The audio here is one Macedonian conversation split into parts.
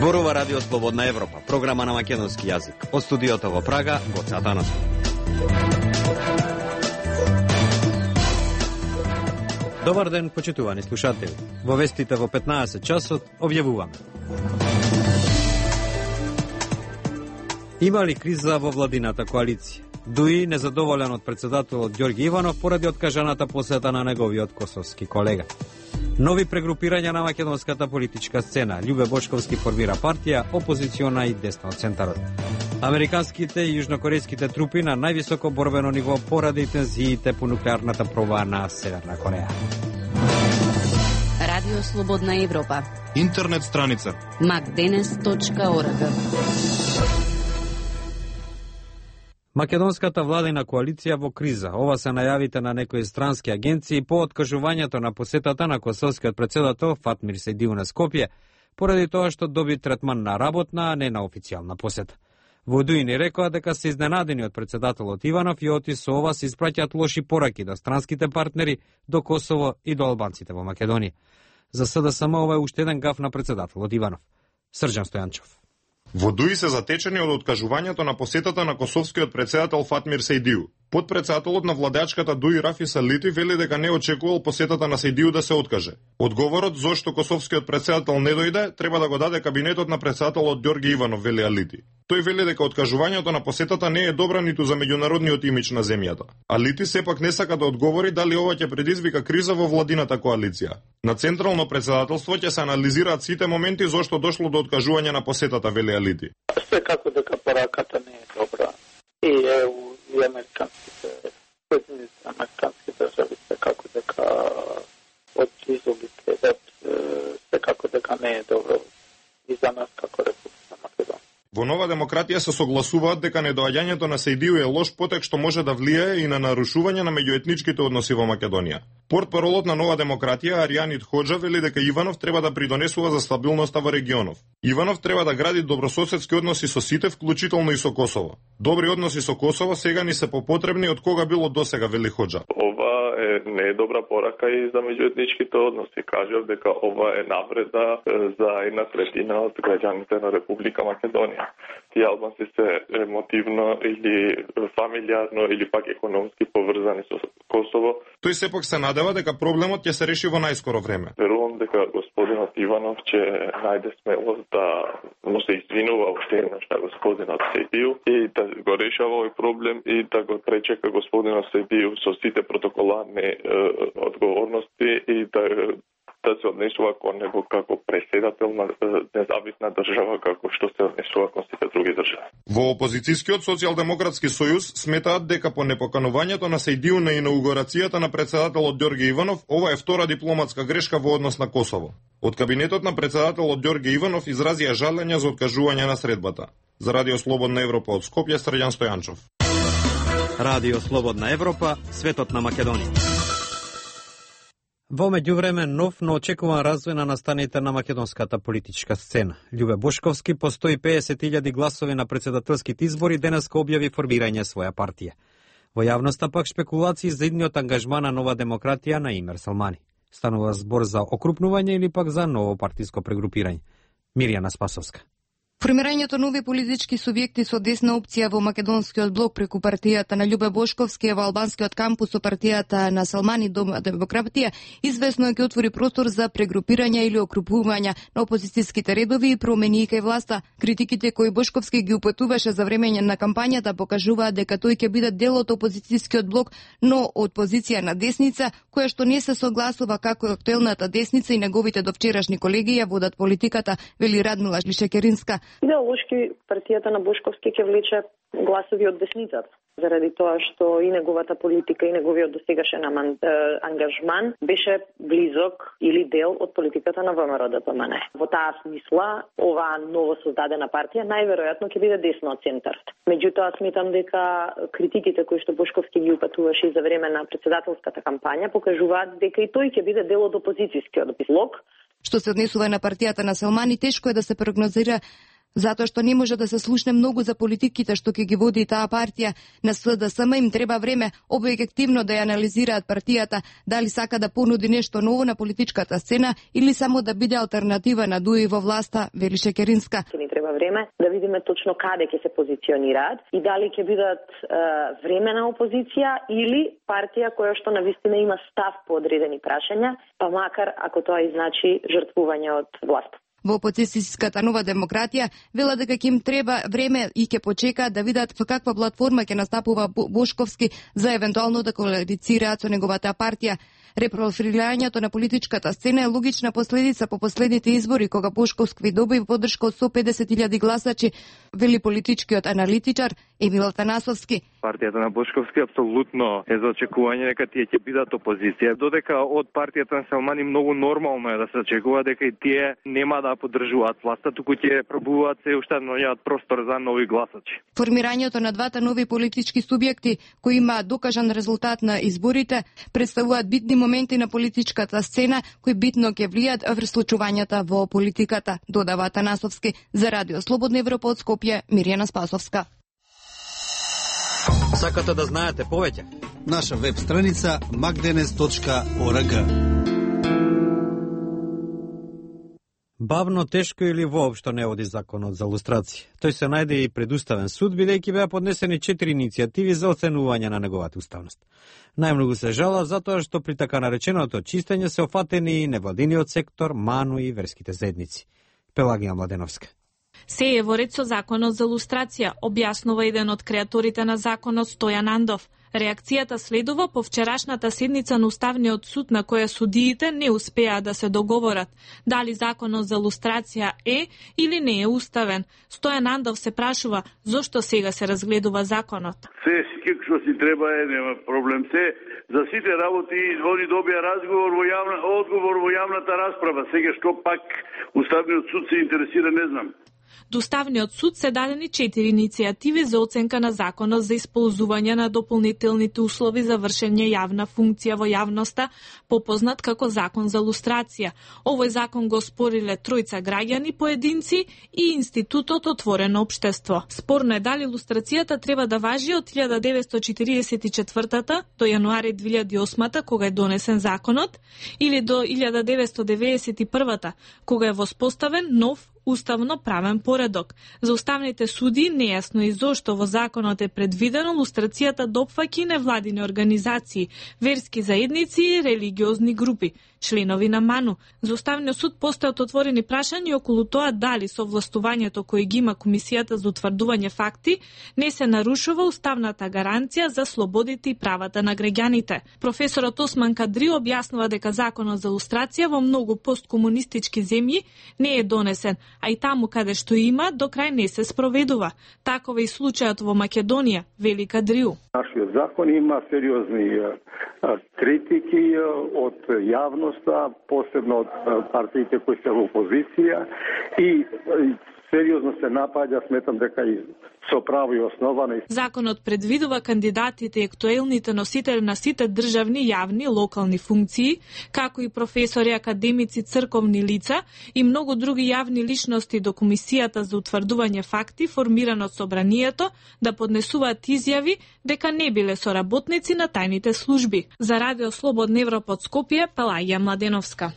Зборува Радио Слободна Европа, програма на македонски јазик. Од студиото во Прага, Гоце Атанасов. Добар ден, почитувани слушатели. Во вестите во 15 часот објавуваме. Има ли криза во владината коалиција? Дуи незадоволен од председателот Ѓорги Иванов поради откажаната посета на неговиот косовски колега. Нови прегрупирања на македонската политичка сцена. Љубе Бошковски формира партија, опозициона и десна од центарот. Американските и јужнокорејските трупи на највисоко борбено ниво поради тензиите по нуклеарната проба на Северна Кореја. Радио Слободна Европа. Интернет страница macdenes.org. Македонската владина коалиција во криза. Ова се најавите на некои странски агенции по откажувањето на посетата на косовскиот председател Фатмир Сейдиу на Скопје, поради тоа што доби третман на работна, а не на официјална посета. Во Дуи ни рекоа дека се изненадени од председателот Иванов и оти со ова се испраќаат лоши пораки до странските партнери, до Косово и до албанците во Македонија. За СДСМ ова е уште еден гаф на председателот Иванов. Срđan Стојанчов. Во Дуи се затечени од откажувањето на посетата на косовскиот председател Фатмир Сейдиу. Подпредседателот на владеачката Дуи Рафис Алити вели дека не очекувал посетата на Сейдиу да се откаже. Одговорот зошто косовскиот председател не дојде треба да го даде кабинетот на председателот Ѓорги Иванов, вели Алити. Тој вели дека откажувањето на посетата не е добра ниту за меѓународниот имидж на земјата. Алити сепак не сака да одговори дали ова ќе предизвика криза во владината коалиција. На централно председателство ќе се анализираат сите моменти зошто дошло до откажување на посетата, вели Алити. Секако дека пораката не е добра. И ЕУ и американските држави секако дека од изоби гледат, секако дека не е добро и за нас како Република Македонија. Во Нова демократија се согласуваат дека недоаѓањето на Сейдиу е лош потек што може да влијае и на нарушување на меѓуетничките односи во Македонија. Портпаролот на Нова демократија Аријанит Хоџа вели дека Иванов треба да придонесува за стабилноста во регионов. Иванов треба да гради добрососедски односи со сите, вклучително и со Косово. Добри односи со Косово сега ни се попотребни од кога било досега, вели Хоџа. Ова не е добра порака и за меѓуетничките односи. Кажав дека ова е навреда за 1/3 од граѓаните на Република Македонија. Тие албанци се емотивно или фамилиарно или пак економски поврзани со Косово. Тој сепак се надева дека проблемот ќе се реши во најскоро време. Верувам дека господинот Иванов ќе најде смелост да му се извинува уште еднаш на господинот Сейдиу и да го решава овој проблем и да го пречека господинот Сейдиу со сите протоколарни одговорности и да се однесува кон него како преседател на независна држава, како што се однесува кон сите други држави. Во опозицијскиот социјалдемократски сојуз сметаат дека по непоканувањето на Сейдиу на инаугурацијата на председателот Ѓорги Иванов, ова е втора дипломатска грешка во однос на Косово. Од кабинетот на председателот Ѓорги Иванов изразија жалење за откажување на средбата. За Радио Слободна Европа од Скопје, Срđan Стојанчов. Радио Слободна Европа, светот на Македонија. Во меѓувреме нов, но очекуван развој на настаните на македонската политичка сцена. Љубе Бошковски по 150.000 гласови на председателските избори денеска објави формирање своја партија. Во јавноста пак шпекулации за идниот ангажман на Нова демократија на Имер Салмани. Станува збор за окрупнување или пак за ново партиско прегрупирање. Мирјана Спасовска. Формирањето нови политички субјекти со десна опција во македонскиот блок преку партијата на Љубе Бошковски во албанскиот кампус со партијата на Салмани Нова демократија извесно ќе отвори простор за прегрупирање или окрупување на опозицијските редови и промени кај власта. Критиките кои Бошковски ги упатуваше за време на кампањата покажуваат дека тој ќе биде дел од опозицијскиот блок, но од позиција на десница, која што не се согласува како актуелната десница и неговите довчерашни колеги ја водат политиката, вели Радмила Лишекеринска. Идеолошки партијата на Бошковски ќе влече гласови од десницата, заради тоа што и неговата политика и неговиот досегашен ангажман беше близок или дел од политиката на ВМРО-ДПМН. Во таа смисла, оваа ново создадена партија најверојатно ќе биде десно од центарот. Меѓутоа, сметам дека критиките кои што Бошковски ги упатуваше за време на председателската кампања покажуваат дека и тој ќе биде дел од опозицијскиот блок. Што се однесува на партијата на Салмани, тешко е да се прогнозира Затоа што не може да се слушне многу за политиките што ќе ги води таа партија. На СДСМ им треба време објективно да ја анализираат партијата, дали сака да понуди нешто ново на политичката сцена или само да биде алтернатива на Дуи во власта, вели Шекеринска. Ни треба време да видиме точно каде ќе се позиционираат и дали ќе бидат времена опозиција или партија која што навистина има став по одредени прашања, па макар ако тоа и значи жртвување од власт. Во опозицијската нова демократија вела дека ќе им треба време и ќе почекаат да видат во каква платформа ќе настапува Бошковски за евентуално да коалицираат со неговата партија. Репрофилирањето на политичката сцена е логична последица по последните избори, кога Бошковски доби поддршка од 150.000 гласачи, вели политичкиот аналитичар Емил Танасовски. Партијата на Бошковски апсолутно е за очекување дека тие ќе бидат опозиција, додека од партијата на Селмани многу нормално е да се очекува дека и тие нема да поддржуваат власта, туку ќе пробуваат се уште наоѓаат простор за нови гласачи. Формирањето на двата нови политички субјекти кои има докажан резултат на изборите представуваат битни моменти на политичката сцена кои битно ќе влијат врз случувањата во политиката, додава Танасовски. За Радио Слободна Европа од Скопје, Мирјана Спасовска. Сакате да знаете повеќе? Наша веб страница magdenes.org. Бавно, тешко или воопшто не оди законот за лустрација. Тој се најде и пред уставен суд, бидејќи беа поднесени 4 иницијативи за оценување на неговата уставност. Најмногу се жала затоа што при така нареченото чистење се офатени и невладиниот сектор, МАНУ и верските заедници. Пелагија Младеновска. Се е во ред со законот за лустрација, објаснува еден од креаторите на законот Стојан Андов. Реакцијата следува по вчерашната седница на Уставниот суд на која судиите не успеа да се договорат дали законот за лустрација е или не е уставен. Стојан Андов се прашува зошто сега се разгледува законот. Се што си треба е, нема проблем. Се за сите работи они добија одговор во јавната расправа. Сега што пак Уставниот суд се интересира, не знам. До Уставниот суд се дадени 4 иницијативи за оценка на законот за исползување на дополнителните услови за вршење јавна функција во јавноста, попознат како закон за лустрација. Овој закон го спориле тројца граѓани, поединци и Институтот Отворено општество. Спорно е дали лустрацијата треба да важи од 1944 до јануари 2008 кога е донесен законот или до 1991 кога е воспоставен нов уставно правен поредок. За уставните суди нејасно и зошто во законот е предвидено лустрацијата да опфаќа невладини организации, верски заедници и религиозни групи, членови на МАНУ. За Уставниот суд постојат отворени прашања околу тоа дали со властувањето кој ги има Комисијата за утврдување факти не се нарушува уставната гаранција за слободите и правата на граѓаните. Професорот Осман Кадри објаснува дека законот за лустрација во многу посткомунистички земји не е донесен, а и таму каде што има, до крај не се спроведува. Таков е и случајот во Македонија, вели Кадриу. Нашиот закон има сериозни критики од јавноста, посебно од партиите кои се во опозиција и сериозно се напаѓа, сметам дека и со право и основано. Законот предвидува кандидатите и актуелните носители на сите државни, јавни, локални функции, како и професори, академици, црковни лица и многу други јавни личности до Комисијата за утврдување факти, формирано од собранието, да поднесуваат изјави дека не биле соработници на тајните служби. За Радио Слободна Европа од Скопје, Пелагија Младеновска.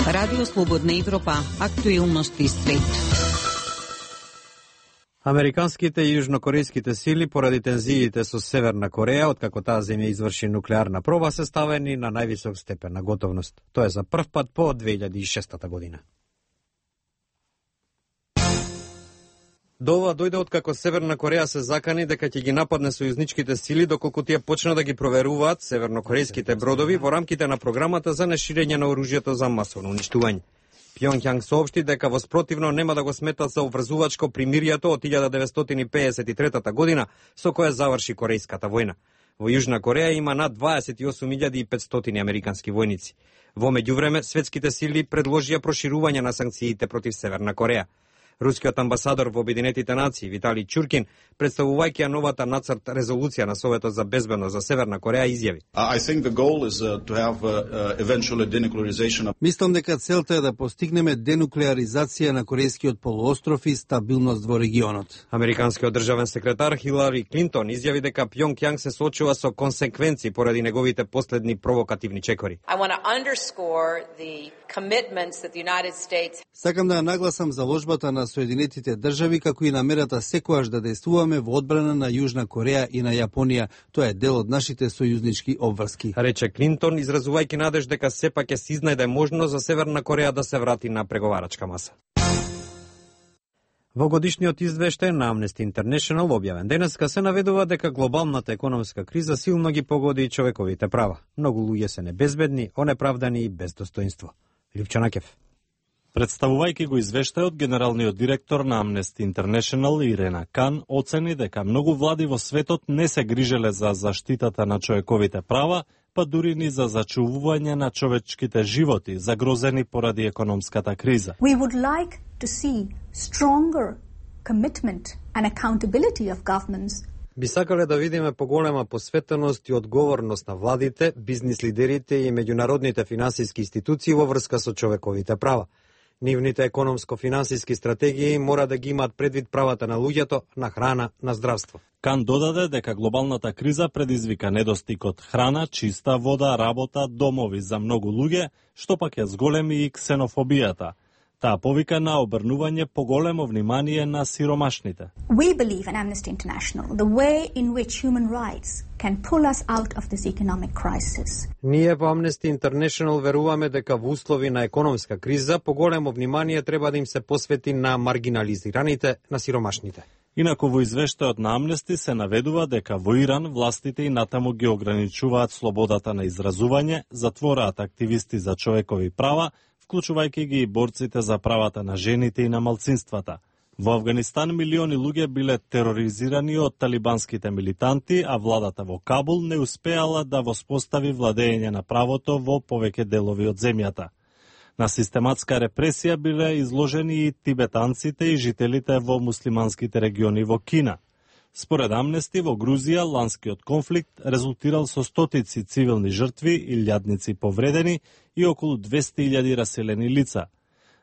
Радио Слободна Европа, актуелности свет. Американските и јужнокорејските сили поради тензиите со Северна Кореја, откако таа земја изврши нуклеарна проба, се ставени на највисок степен на готовност. Тоа е за прв пат по 2006 година. До ова дојде откако Северна Кореја се закани дека ќе ги нападне сојузничките сили доколку тие почна да ги проверуваат севернокорејските бродови во рамките на програмата за неширење на оружјето за масовно уништување. Пјонѓанг соопшти дека воспротивно нема да го сметат за обврзувачко примиријето од 1953 година со која заврши Корејската војна. Во Јужна Кореја има над 28.500 американски војници. Во меѓувреме, светските сили предложија проширување на санкциите против Северна Кореја. Рускиот амбасадор во Обединетите нации Виталий Чуркин, представувајќи ја новата нацрт резолуција на Советот за безбедност за Северна Кореја, изјави: Мислам дека целта е да постигнеме денуклеаризација на Корејскиот полуостров и стабилност во регионот. Американскиот државен секретар Хилари Клинтон изјави дека Пјонγκјанг се соочува со консеквенции поради неговите последни провокативни чекори. Сакам да нагласам заложбата на Соединетите држави како и намерата секогаш да действуваме во одбрана на Јужна Кореја и на Јапонија. Тоа е дел од нашите сојузнички обврски, рече Клинтон, изразувајќи надеж дека сепак ќе се изнајде можност за Северна Кореја да се врати на преговарачка маса. Во годишниот извештај на Amnesty International објавен денеска се наведува дека глобалната економска криза силно ги погоди и човековите права. Многу луѓе се небезбедни, онеправдани и без достоинство. Лјупчо Накев. Представувајќи го извештајот, генералниот директор на Amnesty International Ирена Кан оцени дека многу влади во светот не се грижеле за заштитата на човековите права, па дури ни за зачувување на човечките животи, загрозени поради економската криза. We would like to see stronger commitment and accountability of governments. Би сакале да видиме поголема посветеност и одговорност на владите, бизнис лидерите и меѓународните финансиски институции во врска со човековите права. Нивните економско-финансиски стратегии мора да ги имаат предвид правата на луѓето, на храна, на здравство. Кан додаде дека глобалната криза предизвика недостиг од храна, чиста вода, работа, домови за многу луѓе, што пак ја зголеми и ксенофобијата. Таа повика на обрнување поголемо внимание на сиромашните. We believe in Amnesty International the way in which human rights can pull us out of this economic crisis. Ние во Amnesty International веруваме дека во услови на економска криза поголемо внимание треба да им се посвети на маргинализираните, на сиромашните. Инаку во извештајот на Amnesty се наведува дека во Иран властите и натаму ги ограничуваат слободата на изразување, затвораат активисти за човекови права, вклучувајќи ги и борците за правата на жените и на малцинствата. Во Авганистан милиони луѓе биле тероризирани од талибанските милитанти, а владата во Кабул не успеала да воспостави владење на правото во повеќе делови од земјата. На систематска репресија биле изложени и тибетанците и жителите во муслиманските региони во Кина. Според Амнести, во Грузија ланскиот конфликт резултирал со стотици цивилни жртви, илјадници повредени и околу 200.000 раселени лица.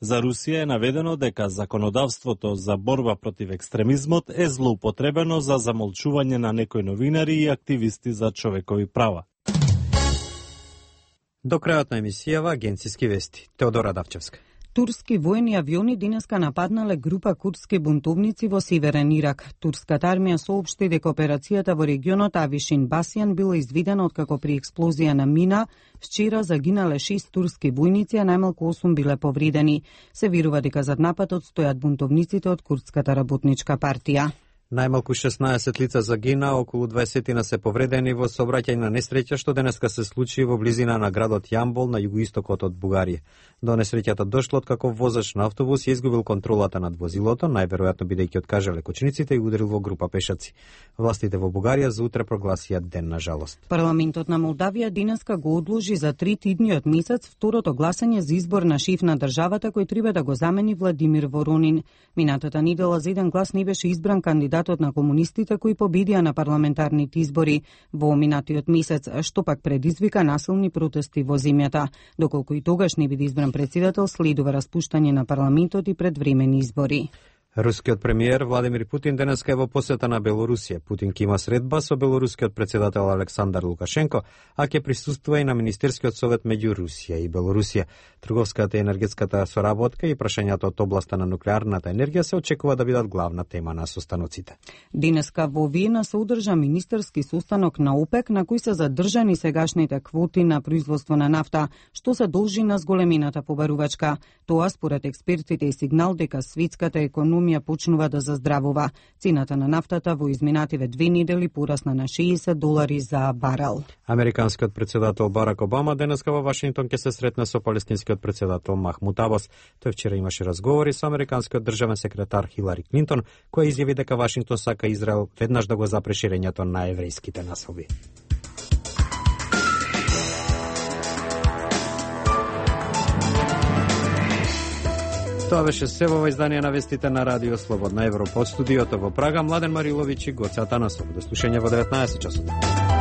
За Русија е наведено дека законодавството за борба против екстремизмот е злоупотребено за замолчување на некои новинари и активисти за човекови права. До крајот на емисијава агенциски вести. Теодора Давчевска. Турски војни авиони денеска нападнале група курдски бунтовници во северен Ирак. Турската армија соопшти дека операцијата во регионот Авишин Басјан била изведена откако при експлозија на мина вчера загинале 6 турски војници, а најмалку 8 биле повредени. Се верува дека зад нападот стојат бунтовниците од Курдската работничка партија. Најмалку 16 лица загина, околу 20 се повредени во сообраќајна несреќа што денеска се случи во близина на градот Јамбол на југоистокот од Бугарија. До несреќата дошло откако возач на автобус ја изгубил контролата над возилото, најверојатно бидејќи откажа лекочениците и ударил во група пешаци. Властите во Бугарија за утре прогласија ден на жалост. Парламентот на Молдавија денеска го одложи за 3 идниот месец второто гласање за избор на шеф на државата кој треба да го замени Владимир Воронин. Минатата недела за еден глас не беше избран кандидатот на комунистите кои победија на парламентарните избори во минатиот месец, што пак предизвика насилни протести во земјата. Доколку и тогаш не биде избран председател, следува распуштање на парламентот и предвремени избори. Рускиот премиер Владимир Путин денеска е во посета на Белорусија. Путин ќе има средба со белорускиот председател Александар Лукашенко, а ќе присуствува и на Министерскиот совет меѓу Русија и Белорусија. Трговската и енергетската соработка и прашањата од областа на нуклеарната енергија се очекува да бидат главна тема на состаноците. Денеска во Виена се одржа министерски состанок на ОПЕК на кој се задржани сегашните квоти на производство на нафта, што се должи на зголемината побарувачка. Тоа според експертите е сигнал дека светската економија почнува да заздравува. Цената на нафтата во изминативе 2 недели порасна на $60 за барел. Американскиот председател Барак Обама денеска во Вашингтон ќе се сретне со палестинскиот председател Махмуд Абас. Тој вчера имаше разговори со американскиот државен секретар Хилари Клинтон, која изјави дека Вашингтон сака Израел веднаш да го запре ширењето на еврејските населби. Тоа беше се во издание на вестите на Радио Слободна Европа. Од студиото во Прага, Младен Мариловиќ и Гоце Атанасов. До слушање во 19 часот.